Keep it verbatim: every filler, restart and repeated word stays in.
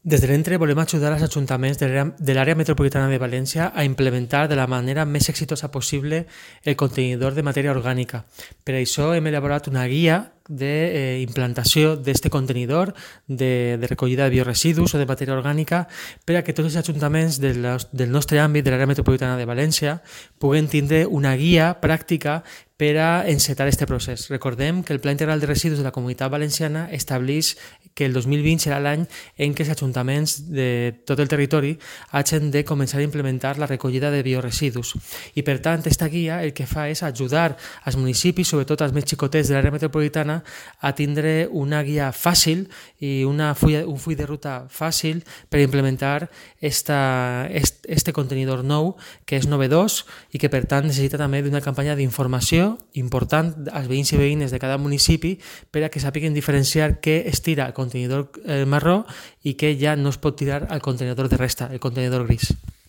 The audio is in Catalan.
Des de l'Entre volem ajudar els ajuntaments de l'àrea de l'àrea metropolitana de València a implementar de la manera més exitosa possible el contenidor de matèria orgànica. Per això hem elaborat una guia d'implantació d'aquest contenidor de, de recollida de bioresidus o de matèria orgànica per a que tots els ajuntaments del, del nostre àmbit, de l'àrea metropolitana de València, puguen tindre una guia pràctica per a encetar aquest procés. Recordem que el Pla Integral de Residus de la Comunitat Valenciana estableix que el dos mil vint serà l'any en què els ajuntaments de tot el territori hagin de començar a implementar la recollida de bioresidus. I per tant, aquesta guia el que fa és ajudar als municipis, sobretot als més xicotets de l'àrea metropolitana, a tindre una guia fàcil i una fulla, un full de ruta fàcil per implementar esta, est, este contenidor nou que és novedós i que per tant necessita també d'una campanya d'informació important als veïns i veïnes de cada municipi per a que sàpiguen diferenciar què es tira al contenidor marró i què ja no es pot tirar al contenidor de resta, el contenidor gris.